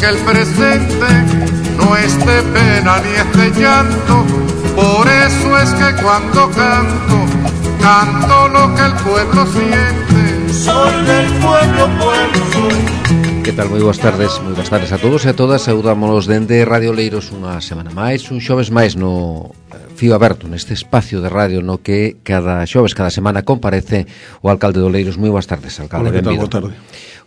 el presente no es de pena ni es de llanto. Por eso es que cuando canto, canto lo que el pueblo siente. Soy del pueblo, pueblo soy. Que tal? Moi boas tardes a todos e a todas. Saudámonos dende Radio Oleiros unha semana máis, un xoves máis no Fío Aberto, neste espacio de radio no que cada xoves, cada semana comparece o alcalde de Oleiros. Moi boas tardes, alcalde. Hola, que tal? Boa tarde.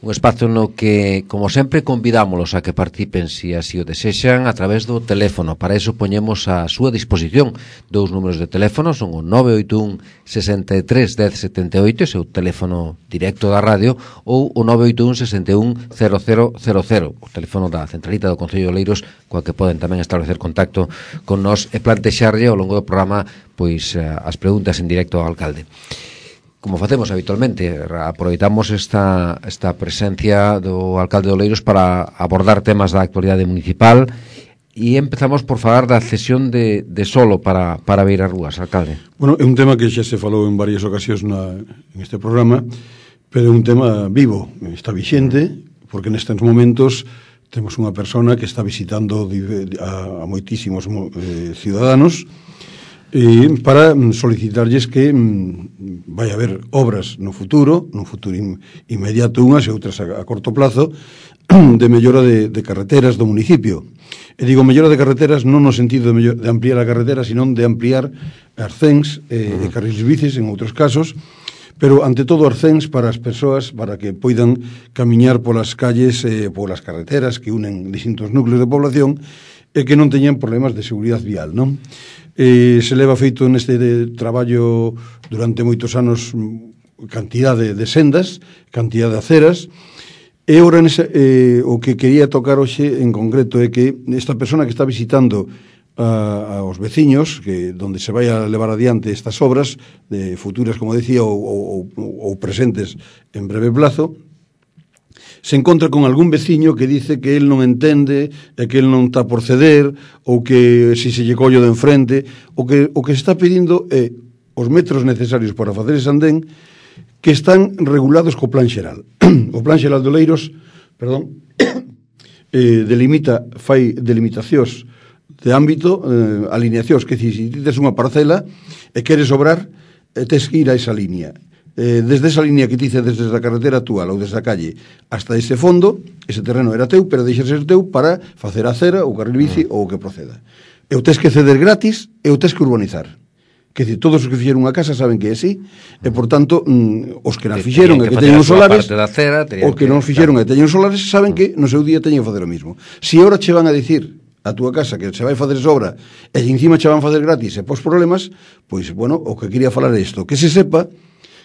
Un espazo no que, como sempre, convidámolos a que participen, se así o desexan, a través do teléfono. Para iso poñemos a súa disposición dous números de teléfono, son o 981 63 10 78, seu teléfono directo da radio, ou o 981 61 0000, o teléfono da centralita do Concello de Oleiros, coa que poden tamén establecer contacto con nós e plantexarlle ao longo do programa pois as preguntas en directo ao alcalde. Como facemos habitualmente, aproveitamos esta presencia do alcalde de Oleiros para abordar temas da actualidade municipal e empezamos por falar da cesión de solo para Beira Rúas, alcalde. Bueno, é un tema que xa se falou en varias ocasións en este programa, pero é un tema vivo, está vixente, porque nestes momentos temos unha persona que está visitando a moitísimos ciudadanos para solicitarlles que vai haber obras no futuro inmediato, unhas e outras a corto plazo, de mellora de carreteras do municipio. E digo mellora de carreteras non no sentido de ampliar a carretera, sino de ampliar arcéns e carriles bicis en outros casos, pero ante todo arcéns para as persoas, para que poidan camiñar polas calles e polas carreteras que unen distintos núcleos de población e que non teñan problemas de seguridade vial, non? Se leva feito neste traballo durante moitos anos cantidade de sendas, cantidade de aceras, e ora o que quería tocar hoxe en concreto é que esta persona que está visitando aos veciños, que donde se vai a levar adiante estas obras de futuras, como decía, ou presentes en breve plazo, se encontra con algún veciño que dice que él non entende e que él non está por ceder, ou que si se lle collo de enfrente, o que se está pedindo é os metros necesarios para facer ese andén que están regulados co plan xeral. O plan xeral de Oleiros, fai delimitacións de ámbito, alineacións, que si tes unha parcela e queres obrar, tes que ir a esa línea. Desde esa línea que te dice desde a carretera actual ou desde a calle hasta ese fondo, ese terreno era teu, pero deixa ser teu para facer a acera ou carril bici ou o que proceda. E o tes que ceder gratis e o tes que urbanizar. Que dicir, todos os que fixeron unha casa saben que é así, e por tanto os que non fixeron e que teñen os solares, os que non fixeron e teñen os solares saben que no seu día teñen que facer o mismo. Se ahora che van a dicir a túa casa que se vai facer esa obra e encima che van facer gratis e pos problemas, pois, bueno, o que quería falar é isto, que se sepa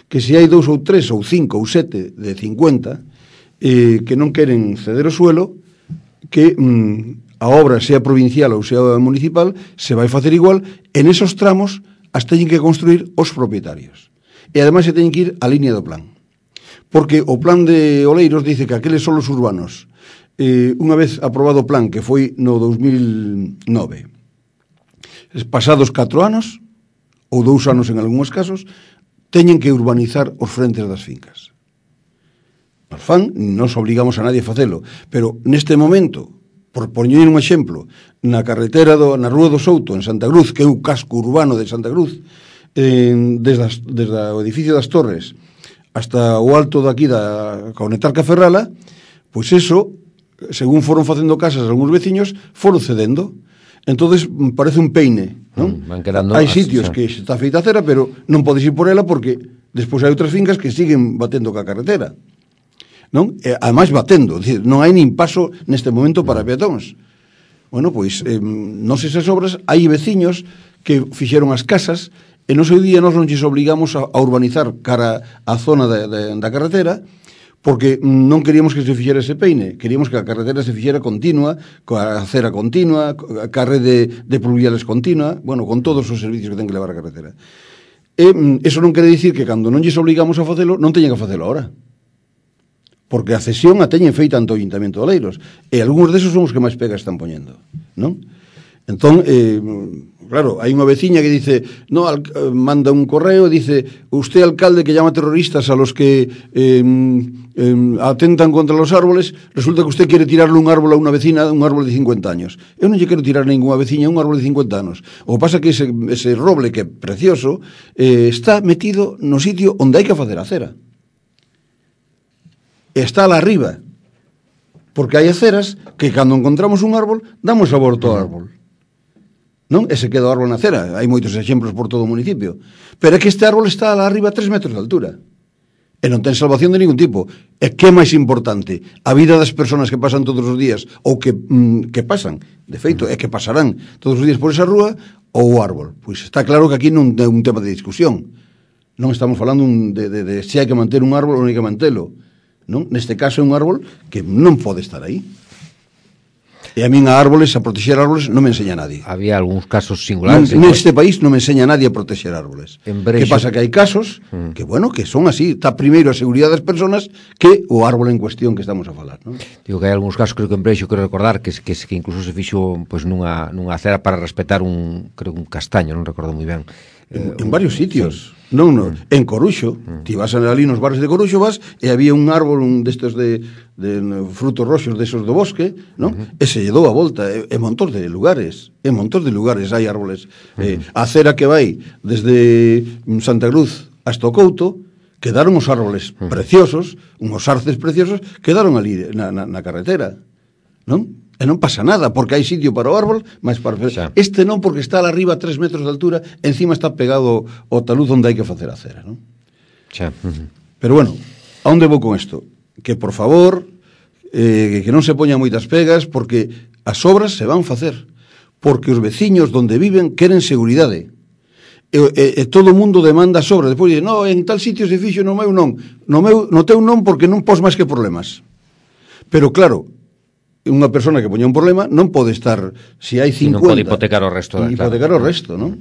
que se hai 2 ou 3 ou 5 ou 7 de 50 que non queren ceder o suelo, que a obra sea provincial ou sea municipal, se vai facer igual, en esos tramos as teñen que construir os propietarios. E ademais se teñen que ir á línea do plan. Porque o plan de Oleiros dice que aqueles son os urbanos. Unha vez aprobado o plan, que foi no 2009, pasados 4 anos, ou 2 anos en algúns casos, teñen que urbanizar os frentes das fincas. Nos fan, nos obligamos a nadie a facelo, pero neste momento, por poñer un exemplo, na carretera na Rúa do Souto, en Santa Cruz, que é o casco urbano de Santa Cruz, desde o edificio das Torres hasta o alto daqui da Conectar Caferrala, pois eso, según foron facendo casas algúns veciños, foron cedendo. Entonces parece un peine, non? Hai sitios que está feita a cera, pero non podes ir por ela porque despois hai outras fincas que siguen batendo ca carretera, non? E ademais batendo, dicir, non hai nin paso neste momento para peatóns. Bueno, pois, non sei se as obras, hai veciños que fixeron as casas e no seu día nós non lles obligamos a urbanizar cara á zona da carretera, porque non queríamos que se fixera ese peine, queríamos que a carretera se fixera continua, coa acera continua, a carre de pluviales continua, bueno, con todos os servicios que ten que levar a carretera. E eso non quere dicir que cando non lles obligamos a facelo, non teñen que facelo ahora. Porque a cesión a teñen feita ante o Ayuntamiento de Oleiros, e algúns desos son os que máis pegas están poñendo, non? Entón, claro, hai unha veciña que dice, no, manda un correo, dice, usted alcalde que llama terroristas a los que atentan contra los árboles, resulta que usted quiere tirarle un árbol a unha vecina, un árbol de 50 años. Eu non lle quero tirar ninguna veciña un árbol de 50 anos. O que pasa que ese roble que é precioso está metido no sitio onde hai que facer a acera. Está lá arriba. Porque hai aceras que cando encontramos un árbol, damos a volta ao árbol. Non? E se queda o árbol na acera. Hai moitos exemplos por todo o municipio. Pero é que este árbol está lá arriba a 3 metros de altura. E non ten salvación de ningún tipo. E que é máis importante? A vida das persoas que pasan todos os días, ou que pasan, de feito, é que pasarán todos os días por esa rúa, ou o árbol. Pois está claro que aquí non é un tema de discusión. Non estamos falando de se hai que manter un árbol ou non hai que mantelo. Non? Neste caso é un árbol que non pode estar aí. E a min a árboles, a protexer árboles, non me enseña nadie. Había algúns casos singulares. Neste país non me enseña nadie a protexer árboles. Que pasa que hai casos que, bueno, que son así. Está primeiro a seguridade das persoas que o árbol en cuestión que estamos a falar, non? Digo que hai algúns casos, creo que en Breixo, quero recordar, que incluso se fixo pues, nunha acera para respetar un castaño, non recordo moi ben. En varios sitios. Non. En Coruxo, ti vas ali nos barrios de Coruxo, vas e había un árbol, un destes de frutos roxos desos do bosque, non? E se lle dou a volta, en montón de lugares, hai árboles. A acera que vai desde Santa Cruz hasta o Couto, quedaron os árboles preciosos, unhos arces preciosos, quedaron ali na carretera, non? E non pasa nada, porque hai sitio para o árbol, mas para este non, porque está lá arriba a 3 metros de altura, encima está pegado ao talud onde hai que facer a acera, non? Pero bueno, a onde vou con isto? Que por favor, que non se poñan moitas pegas, porque as obras se van facer, porque os veciños donde viven queren seguridade. E todo o mundo demanda as obras. Depois dice, no, en tal sitio se fixo, no meu non. No teu non, porque non pos máis que problemas. Pero claro, unha persona que poña un problema non pode estar, se hai 50... non pode hipotecar o resto. Hipotecar o resto, non?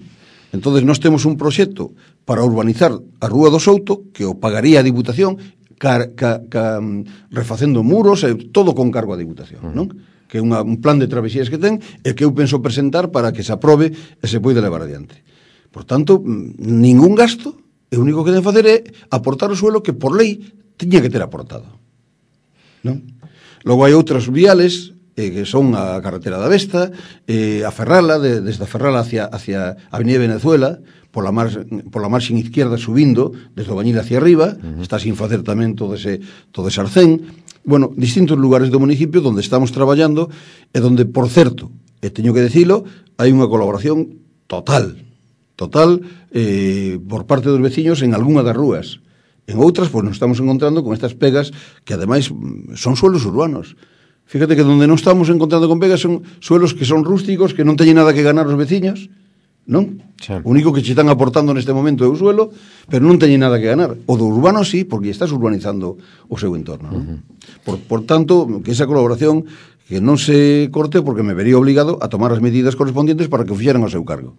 Entonces nós temos un proxecto para urbanizar a Rúa do Souto, que o pagaría a Diputación, refacendo muros, todo con cargo a Diputación, non? Que é un plan de travesías que ten, e que eu penso presentar para que se aprobe e se poida levar adiante. Por tanto, ningún gasto, e o único que deben facer é aportar o suelo que por lei tiña que ter aportado, non? Logo hai outras viales que son a carretera da Vesta, a Ferrala, desde a Ferrala hacia a Avenida Venezuela, pola marxen izquierda subindo, desde o Bañil hacia arriba, está sin facer tamén todo ese arcén. Bueno, distintos lugares do municipio onde estamos traballando e onde, por certo, e teño que dicilo, hai unha colaboración total por parte dos veciños en algunha das rúas. En outras, pois nos estamos encontrando con estas pegas que, ademais, son suelos urbanos. Fíjate que donde non estamos encontrando con pegas son suelos que son rústicos, que non teñen nada que ganar os veciños, non? Sí. O único que che están aportando neste momento é o suelo, pero non teñen nada que ganar. O do urbano sí, porque estás urbanizando o seu entorno, non? Por tanto, que esa colaboración que non se corte, porque me vería obligado a tomar as medidas correspondientes para que o fixeran ao seu cargo.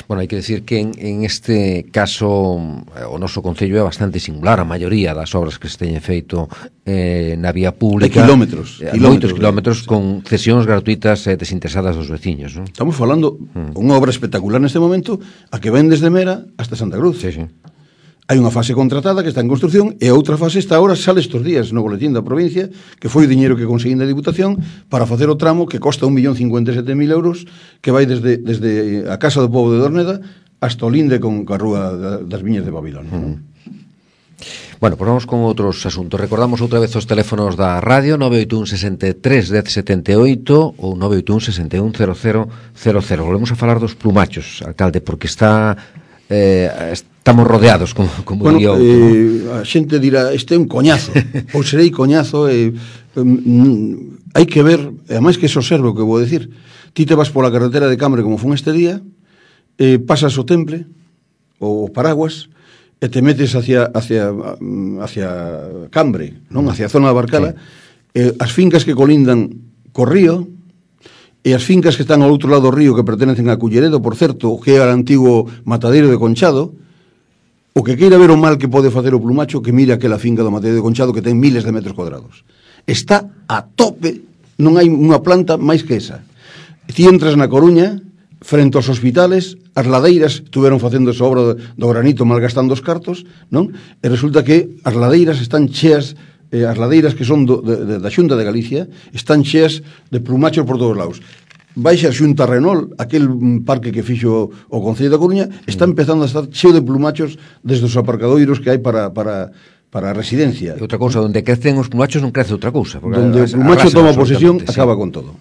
Bueno, hai que decir que en este caso o noso concello é bastante singular. A maioría das obras que se teñen feito na vía pública, moitos kilómetros con cesións gratuitas e desinteresadas dos veciños, non? Estamos falando unha obra espectacular neste momento, a que ven desde Mera hasta Santa Cruz. Sí. Hai unha fase contratada que está en construcción e a outra fase está agora, sale estes días no boletín da provincia, que foi o diñeiro que conseguín da Diputación para facer o tramo que costa 1.057.000 euros, que vai desde a Casa do Pobo de Dorneda hasta o linde con a Rúa das Viñas de Babilón. Bueno, pues vamos con outros asuntos. Recordamos outra vez os teléfonos da radio, 981 63 1078 ou 981 61 0000. Volvemos a falar dos plumachos, alcalde, porque estamos rodeados, como bueno, diría outro. A xente dirá, este é un coñazo, ou serei coñazo, hai que ver, e máis que se observe o que vou decir. Ti te vas pola carretera de Cambre como fun este día, pasas o Temple, o Paraguas, e te metes hacia Cambre, non? Hacia a zona da Barcala, as fincas que colindan co río, e as fincas que están ao outro lado do río, que pertenecen a Culleredo, por certo, que é o antigo matadeiro de Conchado, o que queira ver o mal que pode facer o plumacho, que mire aquela finca do matadeiro de Conchado, que ten miles de metros cuadrados. Está a tope, non hai unha planta máis que esa. Ti entras na Coruña, frente aos hospitales, as ladeiras estuveron facendo esa obra do granito malgastando os cartos, non? E resulta que as ladeiras están cheas, as ladeiras que son da Xunta de Galicia están cheas de plumachos por todos lados. Baixa a Xunta Renol, aquel parque que fixo o Concello da Coruña, está empezando a estar cheo de plumachos desde os aparcadoiros que hai para a residencia. E outra cousa, onde crecen os plumachos non crece outra cousa. Donde o plumacho toma posesión, acaba con todo.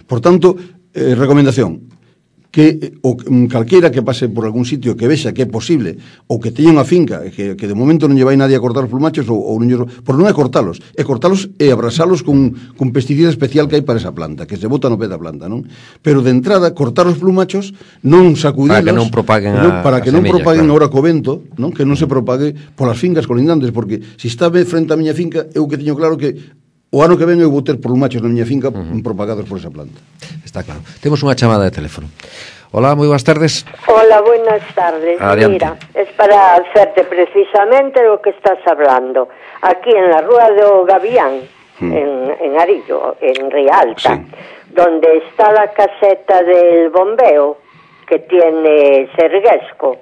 Por tanto, recomendación, que calquera que pase por algún sitio que vexa que é posible ou que teña unha finca que de momento non lle vai nadie a cortar os plumachos ou non, por non é cortalos e abrasalos con pesticida especial que hai para esa planta, que se bota no pé da planta, non? Pero de entrada cortar os plumachos, non sacudilos para que non propaguen para que non propaguen agora co vento, non? Que non se propague polas fincas colindantes, porque se está frente á miña finca, eu que teño claro que o ano que ven eu vou ter plumachos na miña finca propagados por esa planta. Está claro. Temos unha chamada de teléfono. Hola, moi boas tardes. Hola, buenas tardes. Adiante. Mira, es para hacerte precisamente lo que estás hablando. Aquí en la Rúa do Gavián, en Arillo, en Rialta, donde está la caseta del bombeo que tiene Serguesco,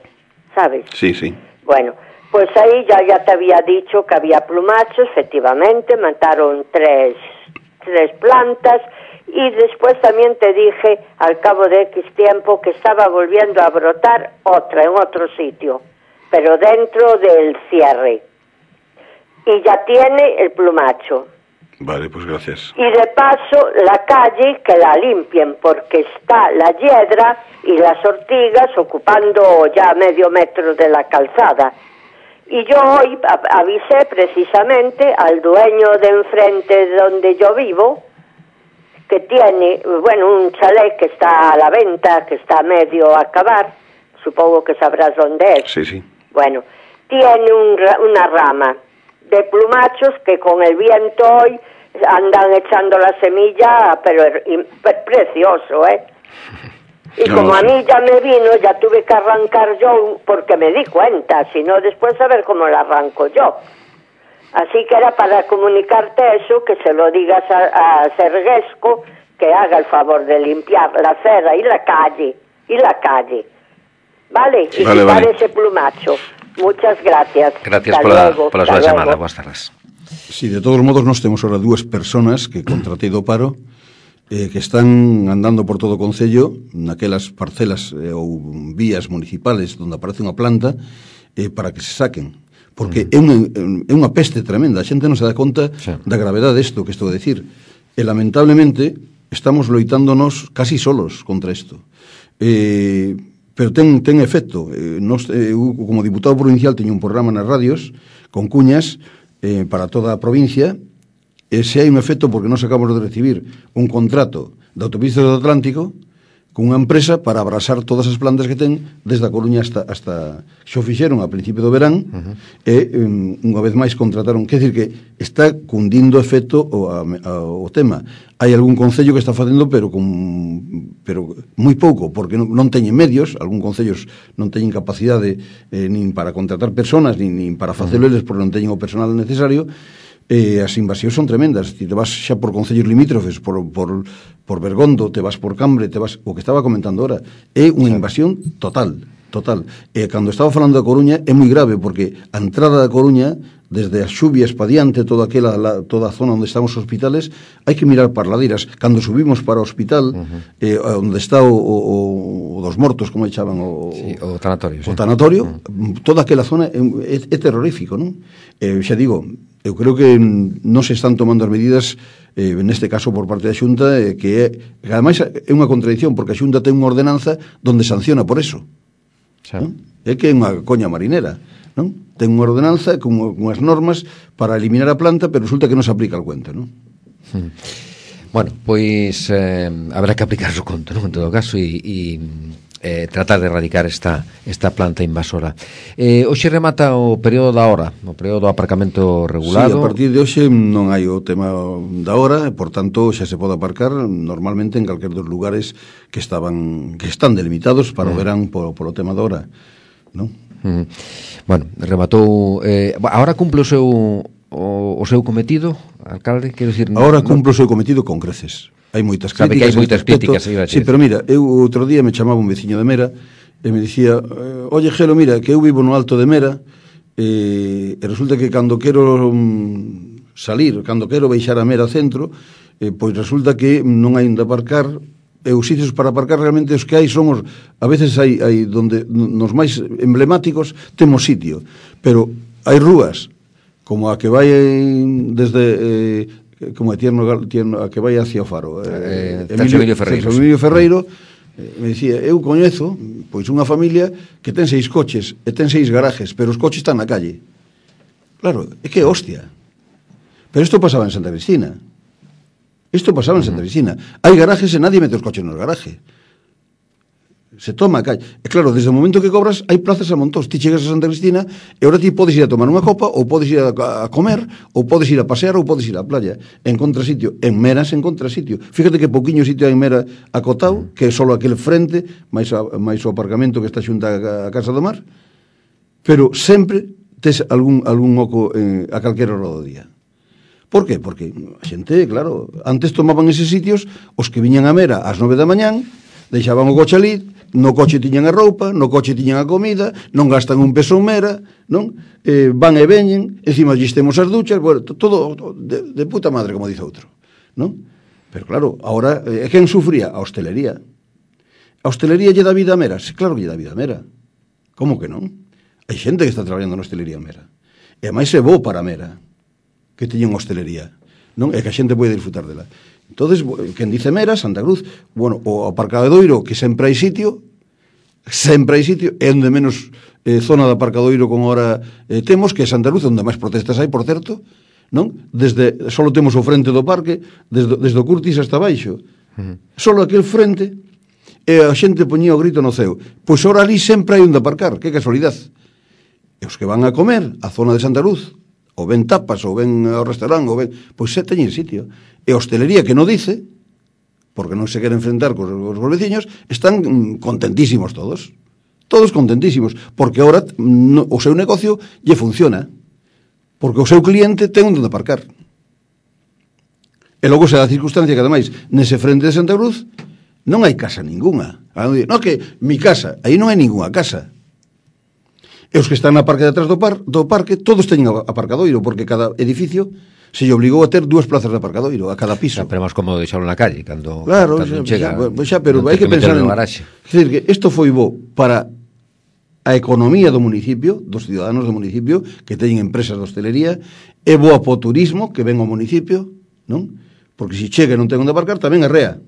¿sabes? Sí, sí. Bueno, pues ahí ya te había dicho que había plumachos, efectivamente, mataron tres plantas, y después también te dije, al cabo de X tiempo, que estaba volviendo a brotar otra en otro sitio, pero dentro del cierre. Y ya tiene el plumacho. Vale, pues gracias. Y de paso, la calle, que la limpien, porque está la hiedra y las ortigas ocupando ya medio metro de la calzada. Y yo hoy avisé precisamente al dueño de enfrente donde yo vivo, que tiene, un chalet que está a la venta, que está medio a acabar, supongo que sabrás dónde es. Sí, sí. Bueno, tiene una rama de plumachos que con el viento hoy andan echando la semilla, pero precioso, ¿eh? Y No, como a sí. mí ya me vino, ya tuve que arrancar yo, porque me di cuenta, si no después a ver cómo la arranco yo. Así que era para comunicarte eso, que se lo digas a Serguesco, que haga el favor de limpiar la acera y la calle, ¿vale? Y Vale, quitar vale. ese plumacho. Muchas gracias. Gracias Hasta pola súa chamada. Boas tardes. Sí, de todos modos, nós temos ahora dúas personas que contratei do paro que están andando por todo o Concello naquelas parcelas ou vías municipales onde aparece unha planta para que se saquen, porque é unha peste tremenda, a xente non se dá conta da gravedade desto que estou a decir, e lamentablemente estamos loitándonos casi solos contra isto, pero ten efecto. Eu, como diputado provincial, teño un programa nas radios con cuñas para toda a provincia. Se hai un efecto porque nós acabamos de recibir un contrato de Autopistas do Atlántico con unha empresa para abrasar todas as plantas que ten desde a Coruña hasta xo fixeron a principio do verán e unha vez máis contrataron, quer dizer que está cundindo efecto o tema. Hai algún concello que está facendo pero moi pouco, porque non teñen medios, algún concellos non teñen capacidade nin para contratar personas nin para facelo eles porque non teñen o personal necesario. As invasións son tremendas. Ti te vas xa por concellos limítrofes, por Bergondo, te vas por Cambre, te vas, o que estaba comentando ahora, é unha invasión total. E cando estaba falando da Coruña é moi grave, porque a entrada da Coruña, desde as xubias pa diante, toda a zona onde están os hospitales, hai que mirar para ladeiras. Cando subimos para o hospital, onde está o dos mortos, como echaban o tanatorio, o tanatorio, toda aquela zona é terrorífico, non? Xa digo, eu creo que non se están tomando as medidas neste caso por parte da Xunta, que ademais é unha contradición, porque a Xunta ten unha ordenanza donde sanciona por eso, non? É que é unha coña marinera, non? Ten unha ordenanza con unhas normas para eliminar a planta, pero resulta que non se aplica al cuento, non? Bueno, pois habrá que aplicar o conto, non? En todo caso, e tratar de erradicar esta planta invasora. Hoxe remata o período da hora, o período do aparcamento regulado. Sí, a partir de hoxe non hai o tema da hora, e, por tanto, xa se pode aparcar normalmente en calquer dos lugares que están delimitados para o verán polo tema da hora, non? Bueno, rematou... agora cumple o seu cometido, alcalde? Quero dicir, agora cumple o seu cometido con creces. hai moitas Sabe críticas. que hai moitas críticas, sí, pero mira, eu outro día me chamaba un veciño de Mera e me dicía, oye, Gelo, mira, que eu vivo no Alto de Mera e resulta que cando quero salir, cando quero baixar a Mera centro, pois resulta que non hai onde aparcar, e os sitios para aparcar realmente os que hai son a veces hai donde nos máis emblemáticos temos sitio, pero hai rúas como a que vai desde como é tierno a que vai hacia o Faro, Emilio Ferreiro, me dicía, eu coñezo pois unha familia que ten 6 coches e ten 6 garajes, pero os coches están na calle. Claro, é que é hostia. Pero isto pasaba en Santa Cristina. Hai garajes e nadie mete os coches no garaje. Se toma a calle. E claro, desde o momento que cobras, hai plazas a montón. Ti chegas a Santa Cristina e ahora ti podes ir a tomar unha copa, ou podes ir a comer, ou podes ir a pasear, ou podes ir á playa. Encontra sitio. En Mera se encontra sitio. Fíjate que pouquiño sitio hai en Mera acotado, que é só aquel frente, máis o aparcamento que está xunto a Casa do Mar, pero sempre tes algún oco a calquera hora do día. Por qué? Porque a xente, claro, antes tomaban eses sitios os que viñan a Mera ás 9 da mañán, deixaban o coche ali, no coche tiñan a roupa, no coche tiñan a comida, non gastan un peso en Mera, non? Van e veñen, encima lles temos as duchas, bueno, todo de puta madre, como dice outro, non? Pero claro, ahora, quen sufría? A hostelería. A hostelería lle dá vida a Mera? Claro que lle dá vida a Mera. Como que non? Hai xente que está traballando na hostelería a Mera. E máis é bo para Mera que teñen hostelería, non? É que a xente pode disfrutar dela. Entonces, quen dice Mera, Santa Cruz, bueno, o aparcadoiro, que sempre hai sitio, é onde menos zona de aparcadoiro con hora temos, que é Santa Cruz, onde máis protestas hai, por certo, non? Solo temos o frente do parque, desde o Curtis hasta baixo. Solo aquel frente, e a xente poñía o grito no ceo. Pois ora ali sempre hai onde aparcar, que casualidade. E os que van a comer a zona de Santa Cruz, ou ven tapas, ou ven ao restaurante, ou ven, pois se teñen sitio. E a hostelería que non dice, porque non se quere enfrentar cos veciños, están contentísimos todos contentísimos, porque ahora o seu negocio lle funciona, porque o seu cliente ten onde aparcar. E logo se dá a circunstancia que ademais nese frente de Santa Cruz non hai casa ninguna. Non, que mi casa, aí non hai ninguna casa. E os que están na parte de atrás do parque todos teñen aparcadoiro, porque cada edificio se lle obligou a ter 2 plazas de aparcadoiro a cada piso. Pero máis cómodo deixarlo na calle cando chega. Xa, pero hai que pensar en garaxe. É dicir, que isto foi bo para a economía do municipio, dos ciudadanos do municipio que teñen empresas de hostelería, é boa para o turismo que ven ao municipio, non? Porque se chega e non ten onde aparcar, tamén é rea.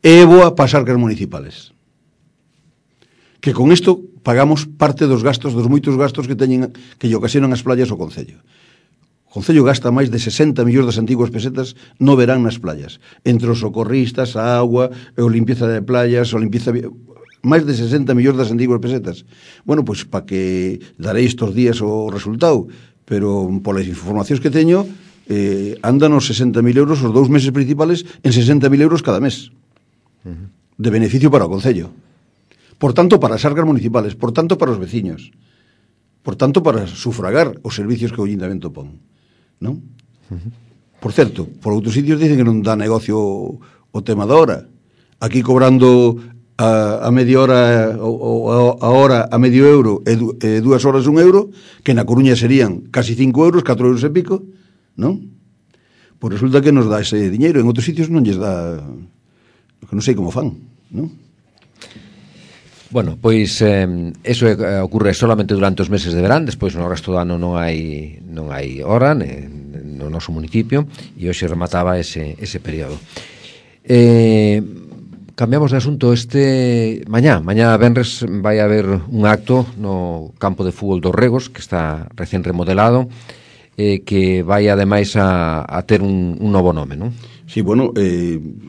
É boa para as arcas municipales. Que con isto pagamos parte dos gastos, dos moitos gastos que teñen, que lle ocasionan as playas ao Concello. O Concello gasta máis de 60 millóns das antiguas pesetas no verán nas playas, entre os socorristas, a agua, o limpieza de playas, o limpieza... máis de 60 millóns das antiguas pesetas. Bueno, pois para que darei estos días o resultado, pero polas informacións que teño, andan os 60.000 euros os 2 meses principales en 60.000 euros cada mes de beneficio para o Concello. Por tanto, para as arcas municipales, por tanto, para os veciños, por tanto, para sufragar os servicios que o Ayuntamiento pon, non? Por certo, por outros sitios dicen que non dá negocio o tema da hora. Aquí cobrando a media hora a hora a medio euro e 2 horas 1 euro, que na Coruña serían casi 5 euros, 4 euros e pico, non? Pois resulta que nos dá ese diñeiro, en outros sitios non lles dá, que non sei como fan, non? Bueno, pois eso ocurre solamente durante os meses de verán, despois no resto do ano non hai hora no noso municipio, e hoxe remataba ese período. Cambiamos de asunto. Mañá venres vai haber un acto no campo de fútbol dos Regos, que está recén remodelado, que vai ademais a ter un novo nome, non? Sí, bueno,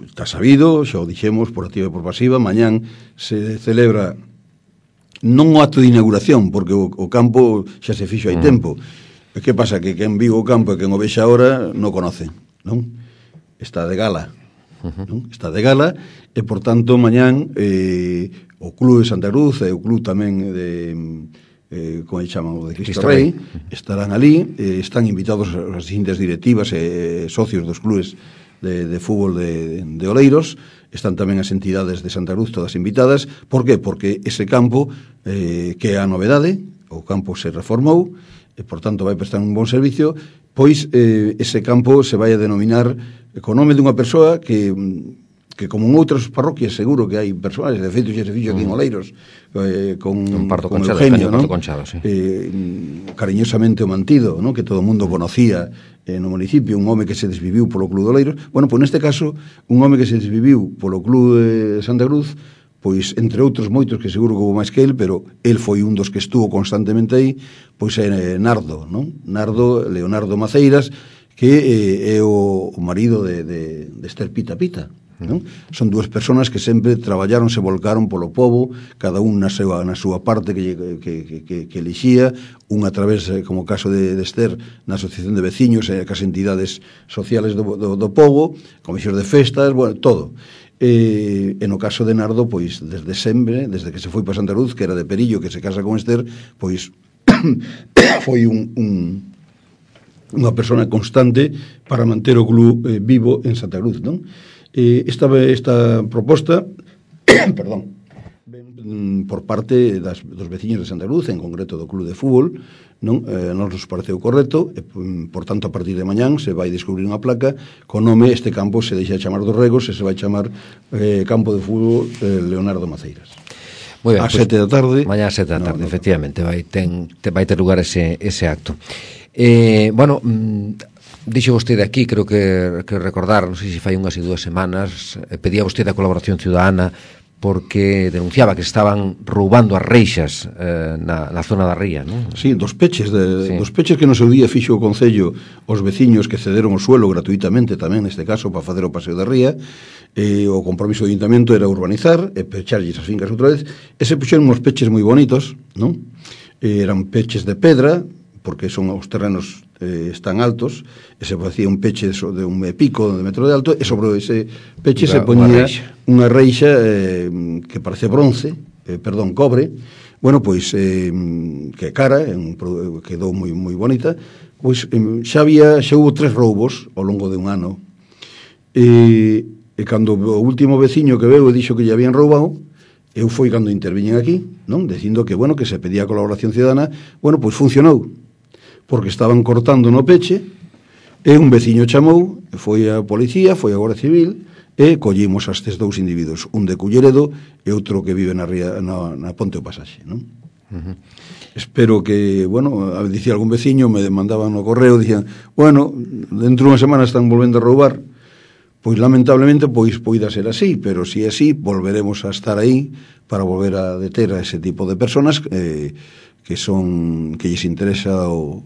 está sabido, xa o dixemos por activa e por pasiva, mañán se celebra non o acto de inauguración, porque o campo xa se fixo hai tempo. E que pasa? Que quen viu o campo e quen o vexa ahora non conoce, non? Está de gala, non? Está de gala, e por tanto mañán o Club de Santa Cruz e o Club tamén de como se chama, o de Cristo Rei, estarán ali, están invitados as distintas directivas e socios dos clubes de fútbol de Oleiros, están tamén as entidades de Santa Cruz todas invitadas. Por qué? Porque ese campo, que é a novedade, o campo se reformou, e, por tanto, vai prestar un bon servicio, pois ese campo se vai a denominar con nome dunha persoa que como en outras parroquias seguro que hai persoas, de feito xe se fixo aquí en Oleiros, con Eugenio, ¿no? Conchado, sí. Cariñosamente o mantido, ¿no? Que todo o mundo conocía no municipio, un home que se desviviu polo Club de Oleiros. Bueno, pois neste caso, un home que se desviviu polo Club de Santa Cruz, pois entre outros moitos que seguro que houve máis que el, pero el foi un dos que estuvo constantemente aí, pois é Nardo, ¿no? Leonardo Maceiras, que é o marido de Esther Pita Pita, ¿no? Son dúas persoas que sempre traballaron, se volcaron polo pobo, cada un na súa parte que elixía, un a través, como o caso de Esther, na asociación de veciños e cas entidades sociales do pobo, comisións de festas, bueno, todo. E no caso de Nardo, pois desde sempre, desde que se foi para Santa Cruz, que era de Perillo, que se casa con Esther, pois foi unha persona constante para manter o club vivo en Santa Cruz, non? Esta proposta perdón, por parte dos veciños de Santa Cruz, en concreto do club de fútbol, non nos pareceu correcto, e, por tanto, a partir de mañán se vai descubrir unha placa con nome, este campo se deixa chamar dos Regos e se vai chamar Campo de Fútbol Leonardo Maceiras. Muy ben, a 7 da tarde. Mañá a 7 da tarde, efectivamente, vai ter lugar ese acto. Bueno, dixo vostede aquí, creo que recordar, non sei se fai unhas e 2 semanas, pedía vostede a colaboración ciudadana porque denunciaba que estaban roubando as reixas na zona da ría, non? Sí, dos peches que no seu día fixo o Concello os veciños que cederon o suelo gratuitamente tamén, neste caso, para facer o paseo da ría. O compromiso do Ayuntamiento era urbanizar e pecharlles as fincas outra vez, e se puxeron uns peches moi bonitos, non? Eran peches de pedra, porque son os terrenos están altos, e se facía un peche de un pico de metro de alto, e sobre ese peche se ponía unha reixa que parece bronce, cobre. Bueno, pois que cara, quedou moi bonita. Pois xa houve 3 roubos ao longo de un ano, e cando o último veciño que veu e dixo que lle habían roubado, eu foi cando interviñen aquí, non? Dicindo que, bueno, que se pedía colaboración ciudadana. Bueno, pois funcionou, porque estaban cortando no peche, e un veciño chamou, foi a policía, foi a Guardia Civil, e collimos a estes 2 individuos, un de Culleredo e outro que vive na Ponte o Pasaxe, non? Espero que, bueno, dicía algún veciño, me mandaban no correo, dicían, bueno, dentro de unha semana están volvendo a roubar. Pois lamentablemente poida ser así, pero si é así, volveremos a estar aí para volver a deter a ese tipo de personas que lles interesa o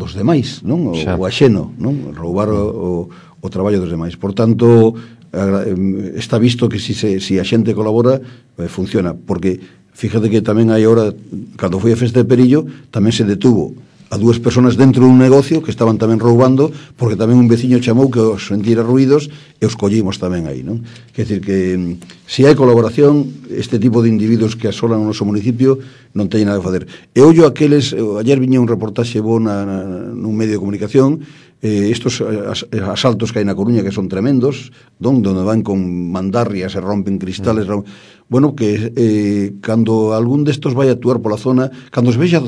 dos demais, non? O axeno, non? Roubar o traballo dos demais. Por tanto, está visto que si a xente colabora, funciona, porque fíjate que tamén hai hora, cando foi a festa de Perillo, tamén se detuvo a 2 personas dentro dun negocio que estaban tamén roubando, porque tamén un veciño chamou que os sentira ruidos e os collimos tamén aí, non? Quer dizer que se hai colaboración, este tipo de individuos que asolan o noso municipio non teñen nada a facer. E ollo aqueles, ayer viña un reportaxe bo nun medio de comunicación, estos asaltos que hai na Coruña que son tremendos, donde van con mandarrias e rompen cristales, bueno, que cando algún destos vai a actuar pola zona, cando se vexa,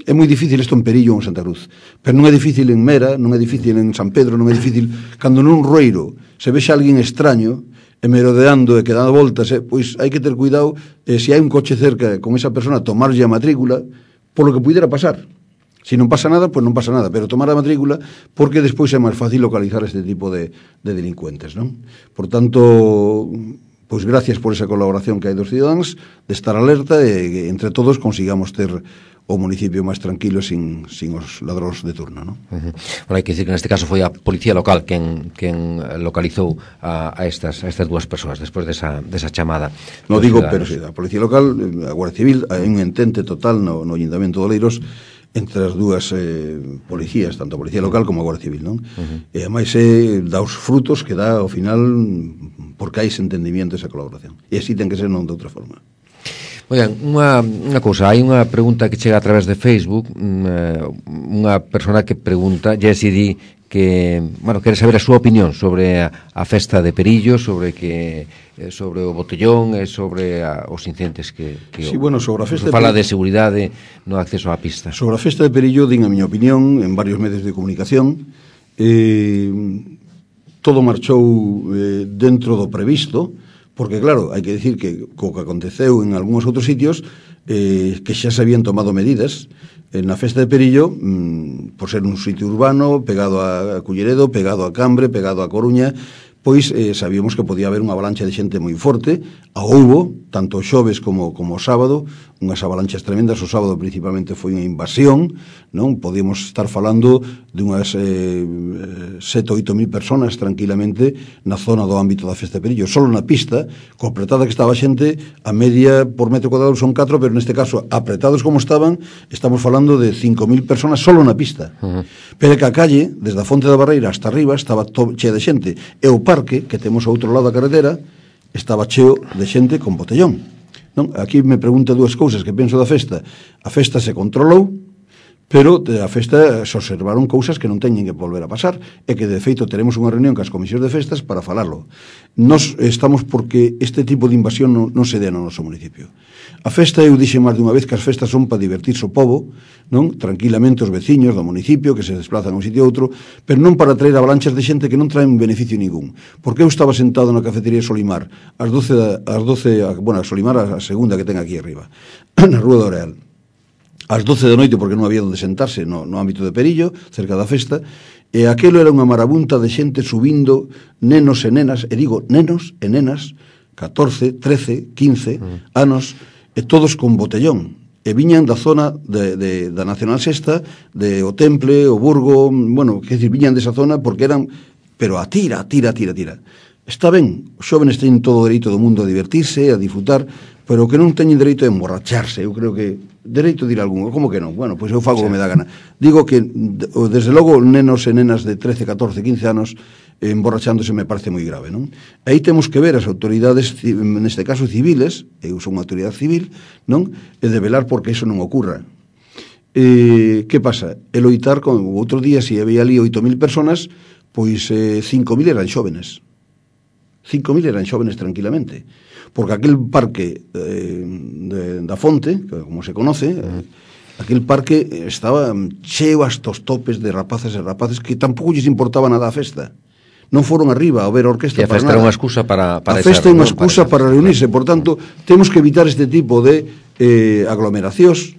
é moi difícil isto en Perillo ou en Santa Cruz, pero non é difícil en Mera, non é difícil en San Pedro, non é difícil cando nun roiro se vexa alguén extraño e merodeando e quedando voltas, pois hai que ter cuidado, se hai un coche cerca con esa persona, tomarlle a matrícula polo que puidera pasar. Si non pasa nada, pois non pasa nada, pero tomar a matrícula porque despois é máis fácil localizar este tipo de delincuentes, non? Por tanto, pois gracias por esa colaboración que hai dos cidadáns, de estar alerta e entre todos consigamos ter o municipio máis tranquilo sin os ladróns de turno, non? Bueno, hai que dicir que neste caso foi a policía local quen localizou a estas 2 persoas despois desa chamada. Non digo, pero si, a policía local, a Guardia Civil, hai un entente total no Ayuntamiento de Oleiros entre as 2 policías, tanto a policía local como a Guardia Civil, non? E ademais dá os frutos que dá ao final porque hai ese entendimiento, esa colaboración. E así ten que ser, non de outra forma. Oigan, unha cousa, hai unha pregunta que chega a través de Facebook, unha persona que pregunta, Jessy di bueno, quere saber a súa opinión sobre a festa de Perillo, sobre o botellón e sobre os incidentes que sí, bueno, sobre a festa fala de seguridade no acceso á pista. Sobre a festa de Perillo, din a miña opinión en varios medios de comunicación. Todo marchou dentro do previsto, porque claro, hai que dicir que co que aconteceu en algúns outros sitios, que xa se habían tomado medidas. Na festa de Perillo, por ser un sitio urbano, pegado a Culleredo, pegado a Cambre, pegado a Coruña, pois sabíamos que podía haber unha avalancha de xente moi forte. A houbo, tanto o xoves como o sábado, unhas avalanchas tremendas. O sábado principalmente foi unha invasión, non? Podíamos estar falando de unhas 7 ou 8 mil personas tranquilamente na zona do ámbito da festa de Perillo, solo na pista, co apretada que estaba a xente, a media por metro cuadrado son 4, pero neste caso, apretados como estaban, estamos falando de 5.000 personas solo na pista. Pero que a calle, desde a Fonte da Barreira hasta arriba, estaba chea de xente, e o parque, que temos ao outro lado da carretera, estaba cheo de xente con botellón, non? Aquí me pregunta dúas cousas que penso da festa. A festa se controlou, pero a festa se observaron cousas que non teñen que volver a pasar, e que de feito teremos unha reunión cas comisións de festas para falarlo. Nos estamos porque este tipo de invasión non se dé no noso municipio. A festa, eu dixen máis dunha vez que as festas son para divertirse o povo, non? Tranquilamente os veciños do municipio que se desplazan a un sitio a outro, pero non para traer avalanchas de xente que non traen beneficio ningún. Porque eu estaba sentado na cafetería Solimar ás 12, bueno, a Solimar a segunda que ten aquí arriba, na Rúa do Oreal, ás 12 da noite, porque non había onde sentarse no ámbito de Perillo, cerca da festa, e aquelo era unha marabunta de xente subindo, nenos e nenas, e digo nenos e nenas, 14, 13, 15 anos, e todos con botellón, e viñan da zona da Nacional Sexta, de o Temple, o Burgo, bueno, que decir, viñan desa zona porque eran, pero a tira. Está ben, os xóvenes teñen todo o dereito do mundo a divertirse, a disfrutar, pero que non teñen dereito a emborracharse. Eu creo que dereito de ir algún, como que non? Bueno, pois eu fago o que me dá gana. Digo que, desde logo, nenos e nenas de 13, 14, 15 anos emborrachándose me parece moi grave, non? Aí temos que ver as autoridades, neste caso civiles, eu son unha autoridade civil, non? E de velar porque iso non ocurra. Que pasa? E loitar con outro día, se había ali 8.000 personas, pois 5.000 eran xóvenes. 5.000 eran xóvenes tranquilamente, porque aquel parque da Fonte, como se conoce, aquel parque estaba cheo hasta os topes de rapaces e rapaces que tampouco lles importaba nada a festa. Non foron arriba a ver a orquesta para nada. E a festa era unha excusa para a festa é unha excusa para reunirse. Por tanto, temos que evitar este tipo de aglomeracións,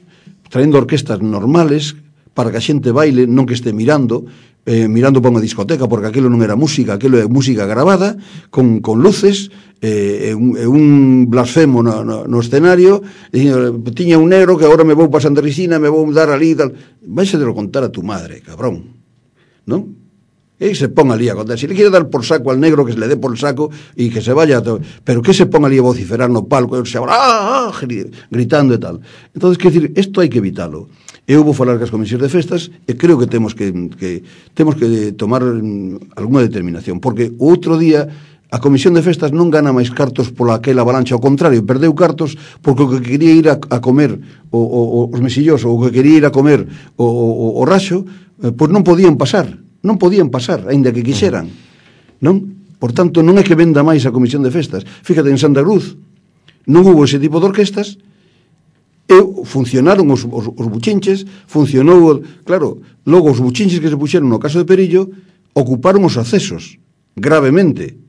traendo orquestas normales para que a xente baile, non que este mirando para unha discoteca, porque aquilo non era música, aquilo é música grabada con luces, un blasfemo no escenario, dicindo, tiña un negro que agora me vou para Santa Risina, me vou dar ali e tal. Vais a contar a tu madre, cabrón, non? E se pon ali a contar, se le quiere dar por saco al negro, que se le dé por saco e que se vaya, pero que se pon ali a vociferar no palco, gritando e tal. Entonces, que decir, isto hai que evitalo. Eu vou falar cas comisións de festas e creo que temos que tomar algunha determinación, porque o outro día a comisión de festas non gana máis cartos pola aquela avalancha, ao contrario, perdeu cartos porque o que quería ir a comer os mesillos, ou o que quería ir a comer o raxo, pois non podían pasar, aínda que quixeran, non? Por tanto, non é que venda máis a comisión de festas. Fíjate, en Santa Cruz non hubo ese tipo de orquestas, e funcionaron os buchinches, funcionou, claro, logo os buchinches que se puxeron no caso de Perillo ocuparon os accesos gravemente,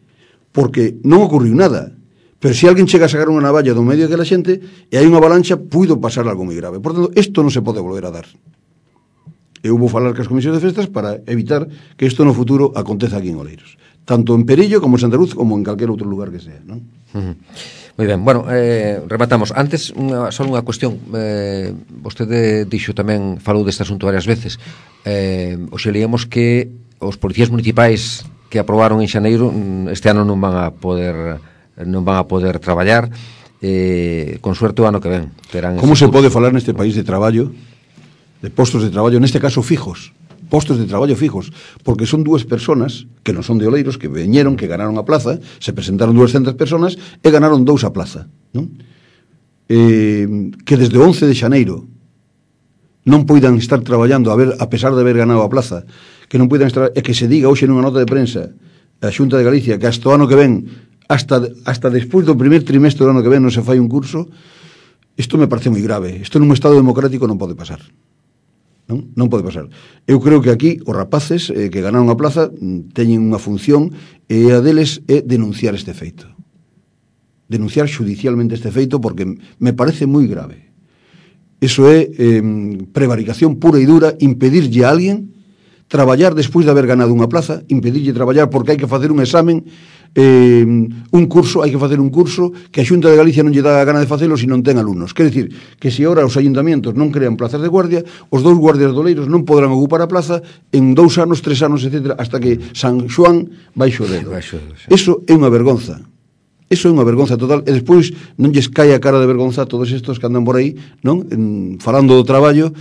porque non ocurriu nada, pero se alguén chega a sacar unha navalla do medio daquela xente e hai unha avalancha, puido pasar algo moi grave. Por tanto, isto non se pode volver a dar. Eu vou falar cas comisións de festas para evitar que isto no futuro aconteza aquí en Oleiros, tanto en Perillo como en Santa Cruz como en calquer outro lugar que sea, non? Moi ben, bueno, rematamos. Antes, só unha cuestión, vostede dixo tamén, falou deste asunto varias veces, hoxe leíamos que os policías municipais que aprobaron en xaneiro este ano non van a poder traballar, con suerte o ano que ven. Como se pode falar neste país de traballo, de postos de traballo, neste caso fijos, postos de traballo fijos, porque son dúas personas que non son de Oleiros, que veñeron, que ganaron a plaza, se presentaron 200 personas e ganaron 2 a plaza, non? Que desde o 11 de xaneiro non poidan estar traballando a pesar de haber ganado a plaza, que non poidan estar, e que se diga hoxe nunha nota de prensa a Xunta de Galicia que hasta o ano que ven, hasta despois do primer trimestre do ano que ven non se fai un curso, isto me parece moi grave. Isto nun estado democrático non pode pasar. Non pode pasar. Eu creo que aquí os rapaces que ganaron a plaza teñen unha función e a deles é denunciar este feito. Denunciar judicialmente este feito porque me parece moi grave. Eso é prevaricación pura e dura, impedirlle a alguén traballar despois de haber ganado unha plaza, impedirlle traballar porque hai que facer un examen, hai que facer un curso que a Xunta de Galicia non lle dá a gana de facelo se non ten alumnos. Quer dicir, que se agora os ayuntamientos non crean plazas de guardia, os 2 guardias doleiros non podrán ocupar a plaza en 2 anos, 3 anos, etc., hasta que San Xoán baixo o dedo. Eso é unha vergonza. Eso é unha vergonza total, e despois non lles cae a cara de vergonza a todos estos que andan por aí, non? Falando do traballo,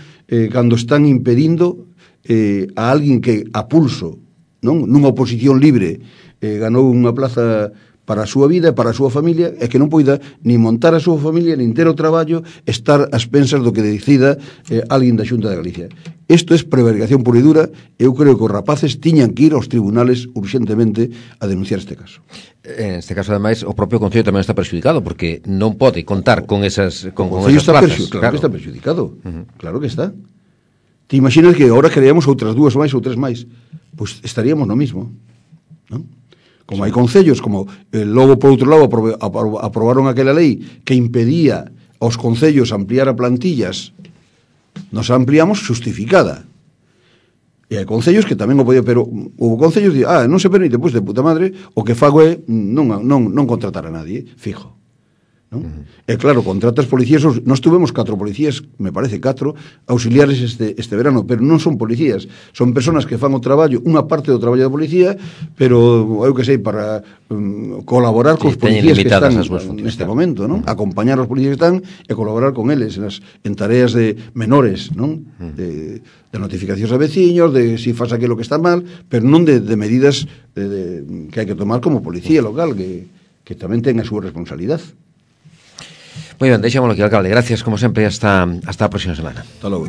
cando están impedindo a alguén que a pulso, non? Nunha oposición libre, ganou unha plaza para a súa vida e para a súa familia, e que non poida ni montar a súa familia, nin ter o traballo, estar ás pensas do que decida alguén da Xunta de Galicia. Isto é prevaricación pura e dura. Eu creo que os rapaces tiñan que ir aos tribunales urgentemente a denunciar este caso. En este caso, ademais, o propio Concello tamén está perxudicado, porque non pode contar con esas plazas. Claro que está perxudicado. Claro que está. Te imaginas que agora creamos outras 2 máis ou 3 máis? Pois estaríamos no mismo, non? Como hai concellos, como logo por outro lado aprobaron aquela lei que impedía aos concellos ampliar a plantillas, nos ampliamos justificada. E hai concellos que tamén o podía, pero houve concellos que non se permite, pois de puta madre, o que fago é non contratar a nadie, fijo. Non? E claro, contratas policías, nós tuvemos 4 policías, me parece 4 auxiliares este verano, pero non son policías, son persoas que fan o traballo, unha parte do traballo da policía, pero eu que sei, para colaborar cos policías que están neste momento, non? Acompañar os policías que están e colaborar con eles en tareas de menores, non? De notificacións a veciños, de si faz aquilo que está mal, pero non de medidas que hai que tomar como policía local, que tamén ten a súa responsabilidade. Moi ben, deixámoslo aquí, alcalde. Gracias, como sempre, hasta a próxima semana. Hasta logo.